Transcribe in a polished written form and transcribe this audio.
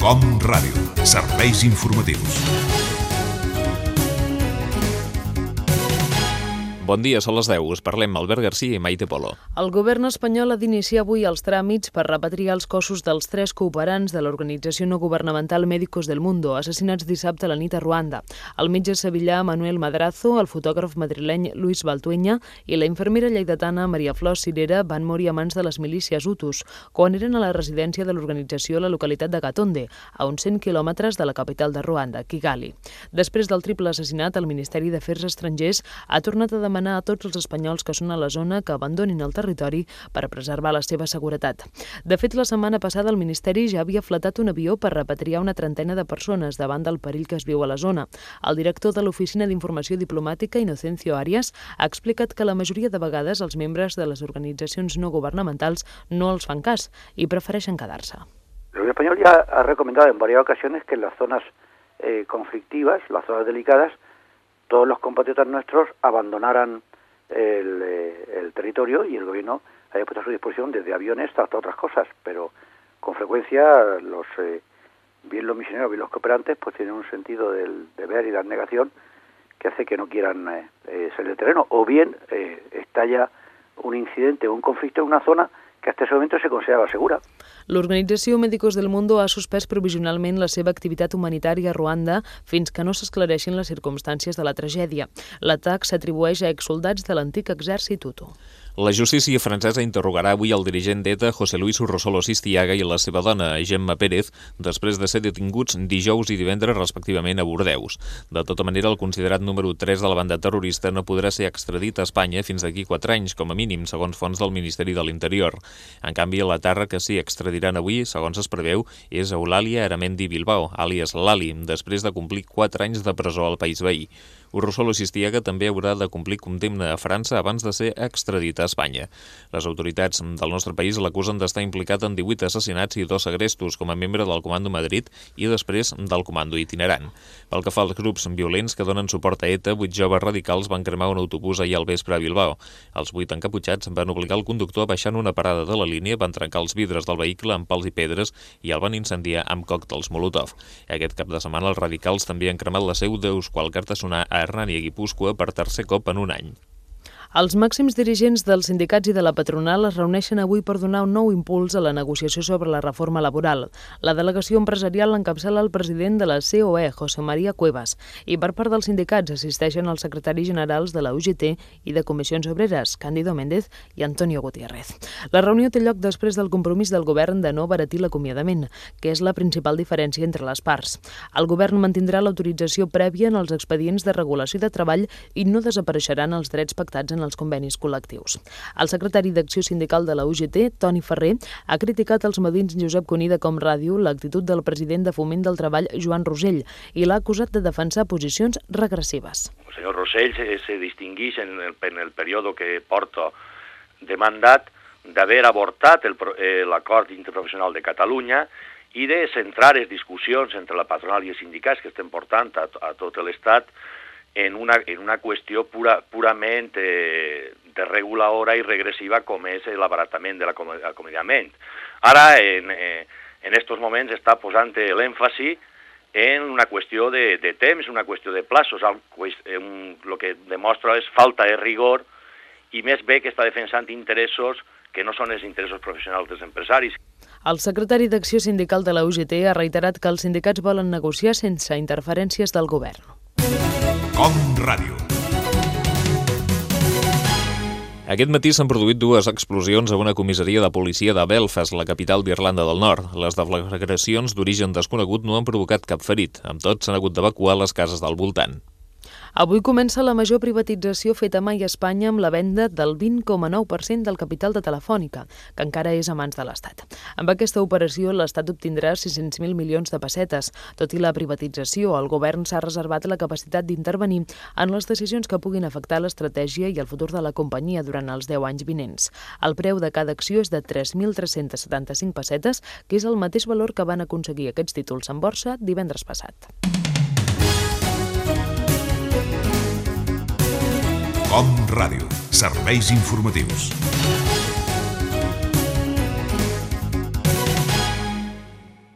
Com Ràdio, serveis informatius. Bon dia, són les 10. Us parlem Albert Garcia i Maite Polo. El govern espanyol ha d'iniciar avui els tràmits per repatriar els cossos dels 3 cooperants de l'organització no governamental Médicos del Mundo, assassinats dissabte a la nit a Ruanda. El metge sevillà Manuel Madrazo, el fotògraf madrileny Luis Baltuenya i la infermera lleidatana Maria Flor Cirera van morir a mans de les milícies Hutus quan eren a la residència de l'organització a la localitat de Gatonde, a uns 100 quilòmetres de la capital de Ruanda, Kigali. Després del triple assassinat, el Ministeri d'Afers Estrangers ha tornat a demanar a tots els espanyols que són a la zona que abandonin el territori per preservar la seva seguretat. De fet, la setmana passada el Ministeri ja havia fletat un avió per repatriar una trentena de persones davant del perill que es viu a la zona. El director de l'Oficina d'Informació Diplomàtica, Inocencio Arias, ha explicat que la majoria de vegades els membres de les organitzacions no governamentals no els fan cas i prefereixen quedar-se. El gobierno español ya ha recomendado en varias ocasiones que en las zonas conflictivas, las zonas delicadas, todos los compatriotas nuestros abandonaran el territorio y el gobierno haya puesto a su disposición desde aviones hasta otras cosas, pero con frecuencia bien los misioneros, bien los cooperantes, pues tienen un sentido del deber y de abnegación que hace que no quieran salir del terreno, o bien estalla un incidente o un conflicto en una zona que hasta ese momento se considerava segura. L'organització Médicos del Mundo ha suspès provisionalment la seva activitat humanitària a Ruanda fins que no s'esclareixin les circumstàncies de la tragèdia. L'atac s'atribueix a exsoldats de l'antic exèrcit Hutu. La justícia francesa interrogarà avui el dirigent d'ETA, José Luis Urrossolo Sistiaga, i la seva dona, Gemma Pérez, després de ser detinguts dijous i divendres respectivament a Bordeus. De tota manera, el considerat número 3 de la banda terrorista no podrà ser extradit a Espanya fins d'aquí 4 anys, com a mínim, segons fonts del Ministeri de l'Interior. En canvi, la terra que sí extradiran avui, segons es preveu, és Eulàlia Aramendi Bilbao, àlies Lali, després de complir 4 anys de presó al país veí. Urrossolo Sistiaga també haurà de complir condemna a França abans de ser extradit a Espanya. Les autoritats del nostre país l'acusen d'estar implicat en 18 assassinats i 2 segrestos com a membre del Comando Madrid i després del Comando Itinerant. Pel que fa als grups violents que donen suport a ETA, 8 joves radicals van cremar un autobús ahir al vespre a Bilbao. Els 8 encaputxats van obligar el conductor a baixar en una parada de la línia, van trencar els vidres del vehicle amb pals i pedres i el van incendiar amb còctels Molotov. Aquest cap de setmana els radicals també han cremat la seu d'Euskal Kartasuna a Hernani i Guipúscoa per tercer cop en un any. Els màxims dirigents dels sindicats i de la patronal es reuneixen avui per donar un nou impuls a la negociació sobre la reforma laboral. La delegació empresarial l'encapçala el president de la COE, José María Cuevas, i per part dels sindicats assisteixen els secretaris generals de la UGT i de Comissions Obreres, Cándido Méndez i Antonio Gutiérrez. La reunió té lloc després del compromís del govern de no abaratir l'acomiadament, que és la principal diferència entre les parts. El govern mantindrà l'autorització prèvia en els expedients de regulació de treball i no desapareixeran els drets pactats en els convenis col·lectius. El secretari d'Acció Sindical de la UGT, Toni Ferrer, ha criticat als matins Josep Cuní de Com Ràdio l'actitud del president de Foment del Treball, Joan Rosell, i l'ha acusat de defensar posicions regressives. El senyor Rosell se distingueix en el període que porta de mandat d'haver avortat l'acord interprofessional de Catalunya i de centrar les discussions entre la patronal i els sindicats que estem portant a tot l'Estat en una qüestió purament desreguladora i regressiva com és l'abaratament de l'acomiadament. Ara, en aquests moments, està posant l'èmfasi en una qüestió de temps, una qüestió de plaços, el que demostra és falta de rigor i més bé que està defensant interessos que no són els interessos professionals dels empresaris. El secretari d'Acció Sindical de la UGT ha reiterat que els sindicats volen negociar sense interferències del govern. Com Ràdio. Aquest matí s'han produït 2 explosions a una comissaria de policia de Belfast, la capital d'Irlanda del Nord. Les deflagracions d'origen desconegut no han provocat cap ferit. Amb tot, s'han hagut d'evacuar les cases del voltant. Avui comença la major privatització feta mai a Espanya amb la venda del 20,9% del capital de Telefònica, que encara és a mans de l'Estat. Amb aquesta operació, l'Estat obtindrà 600.000 milions de pessetes. Tot i la privatització, el govern s'ha reservat la capacitat d'intervenir en les decisions que puguin afectar l'estratègia i el futur de la companyia durant els 10 anys vinents. El preu de cada acció és de 3.375 pessetes, que és el mateix valor que van aconseguir aquests títols en borsa divendres passat. Com Ràdio, serveis informatius.